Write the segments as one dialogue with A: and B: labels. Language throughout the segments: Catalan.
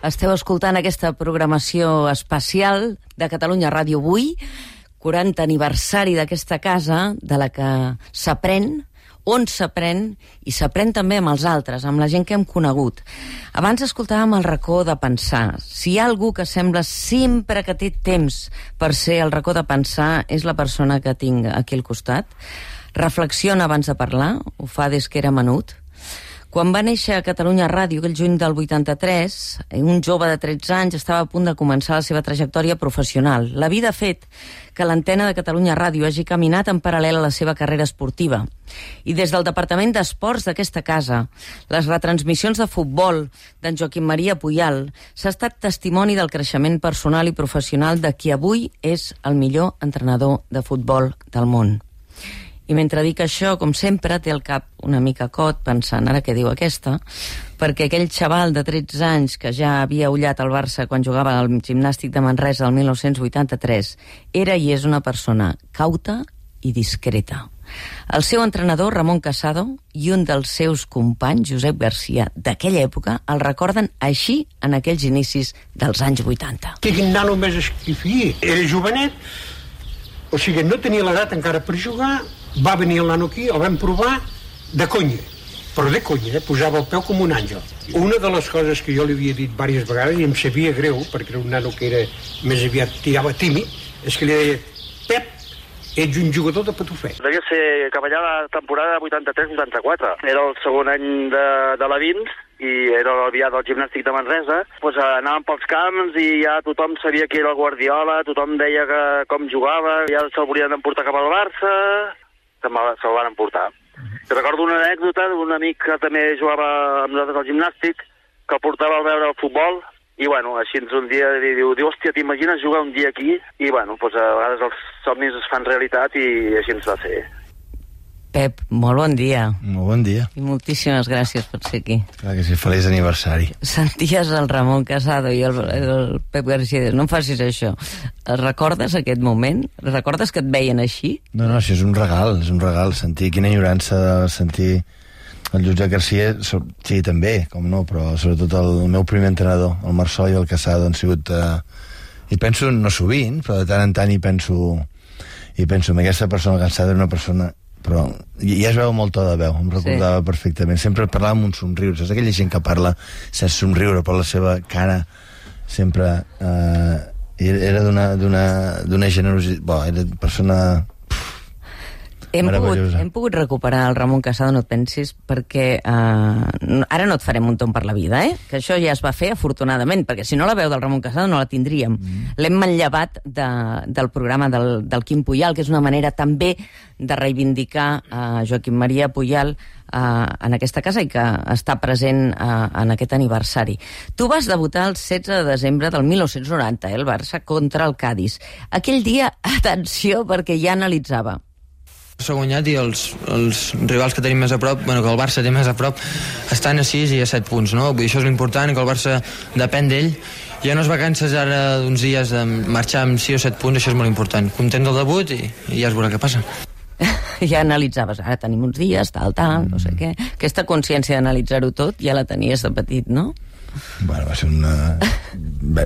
A: Esteu escoltant aquesta programació especial de Catalunya Ràdio avui, 40 aniversari d'aquesta casa, de la que s'aprèn, on s'aprèn, i s'aprèn també amb els altres, amb la gent que hem conegut. Abans escoltàvem el racó de pensar. Si hi ha algú que sembla sempre que té temps per ser el racó de pensar, és la persona que tinc aquí al costat. Reflexiona abans de parlar, ho fa des que era menut. Quan va néixer a Catalunya Ràdio, aquell juny del 83, un jove de 13 anys estava a punt de començar la seva trajectòria professional. La vida ha fet que l'antena de Catalunya Ràdio hagi caminat en paral·lel a la seva carrera esportiva. I des del Departament d'Esports d'aquesta casa, les retransmissions de futbol d'en Joaquim Maria Puyal s'ha estat testimoni del creixement personal i professional de qui avui és el millor entrenador de futbol del món. I mentre dic això, com sempre, té el cap una mica cot pensant, ara què diu aquesta, perquè aquell xaval de 13 anys que ja havia ullat el Barça quan jugava al Gimnàstic de Manresa el 1983 era i és una persona cauta i discreta. El seu entrenador, Ramon Casado, i un dels seus companys, Josep Garcia, d'aquella època, el recorden així en aquells inicis dels anys 80.
B: Quin nano més esquifí. Era jovenet, o sigui, no tenia l'edat encara per jugar. Va venir el nano aquí, el vam provar de conya, però de conya, posava el peu com un àngel. Una de les coses que jo li havia dit diverses vegades, i em sabia greu, perquè era un nano que era més aviat tirava tímid, és que li deia, Pep, ets un jugador de patufet.
C: Devia ser cap allà la temporada 83-84. Era el segon any de la Vins i era l'aviat del Gimnàstic de Manresa. Pues anàvem pels camps i ja tothom sabia que era el Guardiola, tothom deia que com jugava, ja se'l volien emportar cap al Barça, se'l van emportar. Recordo una anècdota d'un amic que també jugava amb nosaltres al Gimnàstic, que el portava a veure el futbol, i bueno, així un dia diu, hòstia, t'imagines jugar un dia aquí? I bueno, doncs a vegades els somnis es fan realitat i així ens va ser.
A: Pep, molt bon dia.
D: Molt bon dia.
A: I moltíssimes gràcies per ser aquí.
D: Clar que sí, feliç aniversari.
A: Senties el Ramon Casado i el Pep Garcia. No em facis això. Recordes aquest moment? Recordes que et veien així?
D: No, sí, és un regal. Sentir quina enyorança de sentir el Josep Garcia, sí, també, com no, però sobretot el meu primer entrenador, el Marçol i el Casado, han sigut... I penso, no sovint, però de tant en tant hi penso en aquesta persona cansada, era una persona... però ja es veu molt to de veu, em recordava perfectament, sempre parlava amb un somriure, saps aquella gent que parla sense somriure, però la seva cara sempre era d'una generositat, era una persona meravellosa.
A: Hem pogut recuperar el Ramon Casado, no et pensis, perquè ara no et farem un tomb per la vida, que això ja es va fer afortunadament, perquè si no la veu del Ramon Casado no la tindríem. L'hem manllevat del programa del Quim Puyal, que és una manera també de reivindicar Joaquim Maria Puyal en aquesta casa i que està present en aquest aniversari. Tu vas debutar el 16 de desembre del 1990, el Barça contra el Cádiz. Aquell dia, atenció, perquè ja analitzava.
E: S'ha guanyat i els rivals que tenim més a prop, que el Barça té més a prop, estan a 6 i a 7 punts, no? Vull dir, això és l'important, que el Barça depèn d'ell. Ja no es vacances ara d'uns dies de marxar amb 6 o 7 punts, això és molt important. Content del debut i ja es veurà què passa.
A: Ja analitzaves, ara tenim uns dies, tal, no sé què. Aquesta consciència d'analitzar-ho tot ja la tenies de petit, no?
D: Bueno, va ser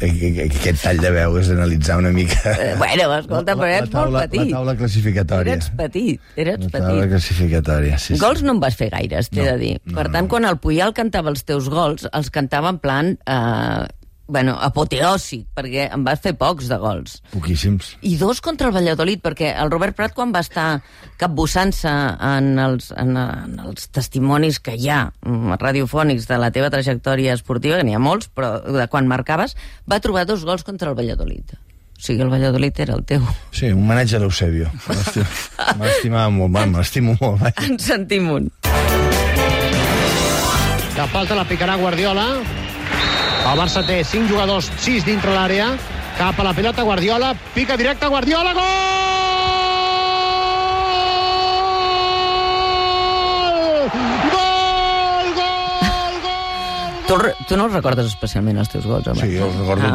D: aquest tall de veu és analitzar una mica...
A: Bueno, escolta, però eres molt petit.
D: La taula classificatòria.
A: Eres petit.
D: La taula classificatòria, sí.
A: Gols no en vas fer gaires, t'he de dir. Per tant, quan el Puyal cantava els teus gols, els cantava en plan... apoteòsic, perquè en vas fer pocs de gols.
D: Poquíssims.
A: I 2 contra el Valladolid, perquè el Robert Prat, quan va estar capbussant-se en els testimonis que hi ha radiofònics de la teva trajectòria esportiva, que n'hi ha molts, però de quan marcaves, va trobar 2 gols contra el Valladolid. O sigui, el Valladolid era el teu.
D: Sí, un homenatge a l'Eusebio. M'estimava molt, me l'estimo molt.
A: En sentim un.
F: La falta la picarà Guardiola. El Barça té 5 jugadors, 6 dintre l'àrea. Cap a la pilota, Guardiola. Pica directe, Guardiola, gol!
A: Tu no els recordes especialment, els teus gols, home?
D: Sí, jo els recordo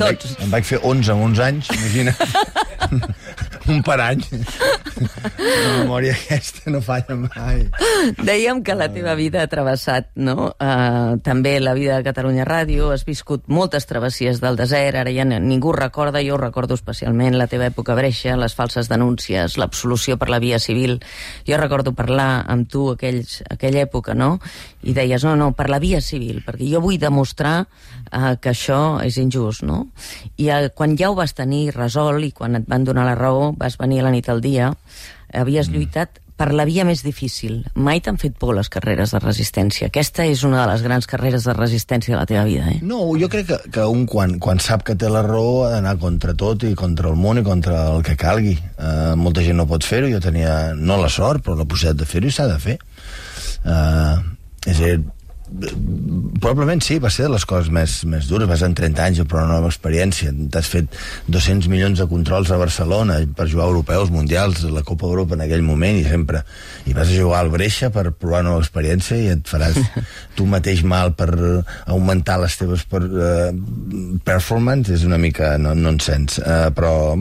D: tots. Em vaig fer 11 amb 11 anys, imagina. un per any. La memòria aquesta no falla mai.
A: Dèiem que la teva vida ha travessat, no? També la vida de Catalunya Ràdio, has viscut moltes travessies del desert, ara ja ningú recorda, jo recordo especialment la teva època breixa, les falses denúncies, l'absolució per la via civil. Jo recordo parlar amb tu aquella època, no? I deies, no, per la via civil, perquè jo vull demostrar que això és injust, no? I quan ja ho vas tenir resolt i quan et van donar la raó, vas venir a la nit al dia, havies lluitat per la via més difícil. Mai t'han fet por les carreres de resistència. Aquesta és una de les grans carreres de resistència de la teva vida, eh?
D: No, jo crec que un quan sap que té la raó ha d'anar contra tot i contra el món i contra el que calgui. Molta gent no pot fer-ho, jo tenia no la sort, però la possibilitat de fer-ho i s'ha de fer. És a dir, probablement sí, va ser de les coses més dures. Vas en 30 anys a provar una nova experiència, t'has fet 200 milions de controls a Barcelona per jugar europeus, mundials, la Copa Europa en aquell moment, i vas a jugar al Breixa per provar una nova experiència i et faràs tu mateix mal per augmentar les teves performance. És una mica nonsens, però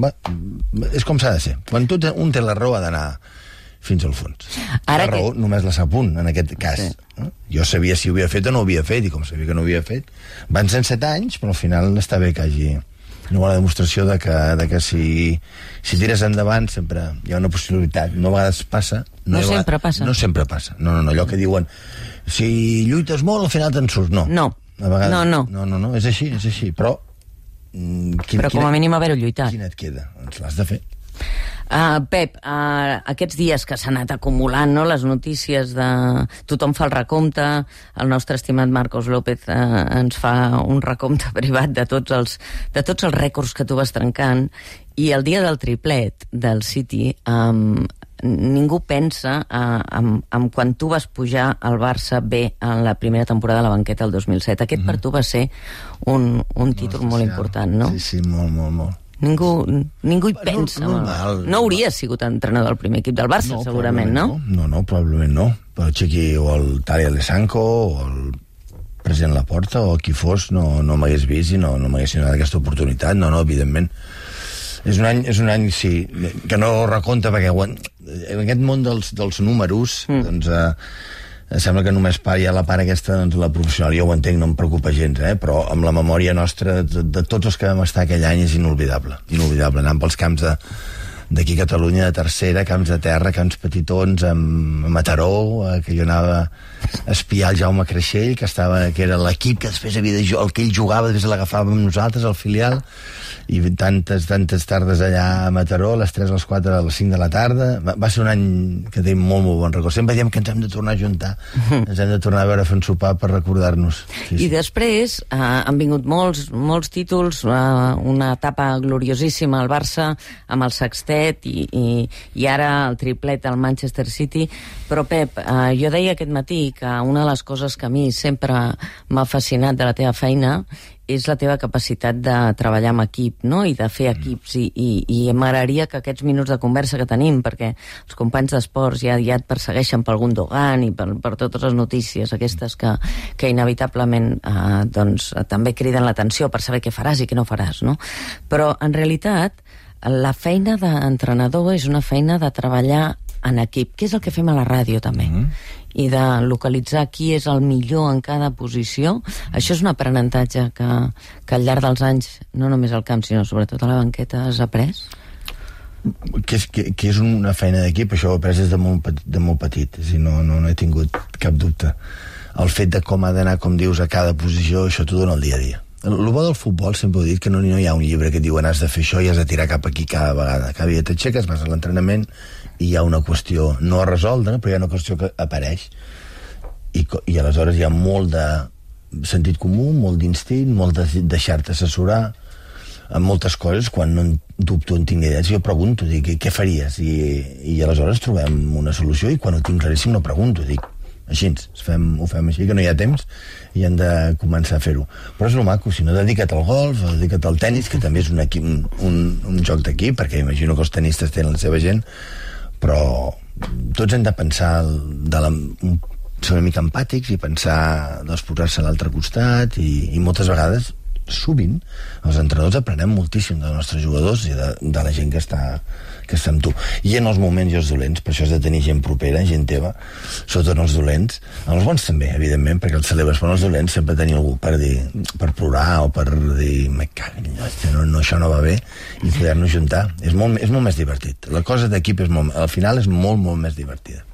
D: és com s'ha de ser. Quan un té la raó ha d'anar fins al fons. La raó només la sap un, en aquest cas. Sí. Jo sabia si ho havia fet o no ho havia fet, i com sabia que no ho havia fet, van ser 7 anys, però al final està bé que hagi una demostració de que si tires endavant sempre hi ha una possibilitat. No a vegades passa.
A: No sempre passa.
D: No sempre passa. No, allò que diuen, si lluites molt, al final te'n surts. No. A vegades, no, és així. Però
A: com a mínim haver-ho lluitat.
D: Quina et queda? Doncs l'has de fer.
A: Pep, aquests dies que s'han anat acumulant, no, les notícies de... Tothom fa el recompte, el nostre estimat Marcos López ens fa un recompte privat de tots els rècords que tu vas trencant, i el dia del triplet del City ningú pensa en quan tu vas pujar al Barça B en la primera temporada de la banqueta el 2007. Aquest per tu va ser un títol molt important, no?
D: Sí, molt.
A: Ningú hi pensa. No hauries sigut entrenador del primer equip del Barça, segurament, no?
D: No, probablement no. Però el Chiqui o el Tali Alessanco o el president Laporta o qui fos no m'hagués vist i no m'hagués donat aquesta oportunitat. No, evidentment. És un any, sí, que no recompta, perquè en aquest món dels números, doncs... sembla que només hi ha la part aquesta, doncs la professional, jo ho entenc, no em preocupa gens, però amb la memòria nostra de tots els que vam estar aquell any és inolvidable, anant pels camps d'aquí a Catalunya, de tercera, camps de terra, camps petitons, a Mataró, que jo anava a espiar el Jaume Creixell, que era l'equip que després havia de jugar, el que ell jugava, després l'agafàvem nosaltres, el filial, i tantes tardes allà a Mataró, a les 3, a les 4, a les 5 de la tarda. Va ser un any que tenim molt bon record. Sempre diem que ens hem de tornar a juntar, ens hem de tornar a veure a fer un sopar per recordar-nos. Sí.
A: I després han vingut molts títols, una etapa gloriosíssima al Barça, amb el sextet, i ara el triplet al Manchester City. Però, Pep, jo deia aquest matí que una de les coses que a mi sempre m'ha fascinat de la teva feina és la teva capacitat de treballar amb equip, no? I de fer equips, i m'agradaria que aquests minuts de conversa que tenim, perquè els companys d'esports ja et persegueixen pel Gundogan i per totes les notícies aquestes que inevitablement doncs, també criden l'atenció per saber què faràs i què no faràs, no? Però en realitat la feina d'entrenador és una feina de treballar en equip, que és el que fem a la ràdio també, i de localitzar qui és el millor en cada posició. Això és un aprenentatge que al llarg dels anys, no només al camp, sinó sobretot a la banqueta, has après?
D: Que és una feina d'equip, això ho he après des de molt petit, és a dir, no he tingut cap dubte. El fet de com ha d'anar, com dius, a cada posició, això t'ho dona el dia a dia. El bo del futbol, sempre he dit que no hi ha un llibre que et diuen has de fer això i has de tirar cap aquí cada vegada. Cada dia t'aixeques, vas a l'entrenament i hi ha una qüestió no resolta, però hi ha una qüestió que apareix i aleshores hi ha molt de sentit comú, molt d'instint, molt de deixar-te assessorar en moltes coses. Quan no en dubto, en tinc idees, jo pregunto, dic, què faries? I aleshores trobem una solució, i quan ho tinc claríssim no pregunto, dic, així, ho fem així, que no hi ha temps i hem de començar a fer-ho. Però és el maco, si no, dedica't al golf, dedica't al tennis, que també és un joc d'equip, perquè imagino que els tenistes tenen la seva gent, però tots hem de pensar ser una mica empàtics i pensar, doncs, posar-se a l'altre costat, i moltes vegades sovint els entrenadors aprenem moltíssim dels nostres jugadors i de la gent que està amb tu. I en els moments i els dolents, per això has de tenir gent propera, gent teva, sobretot en els dolents, en els bons també, evidentment, perquè els celebres, però en els dolents sempre tenir algú per plorar o per dir, me cago en no, això no va bé, i poder-nos juntar. És molt més divertit. La cosa d'equip al final és molt, molt més divertida.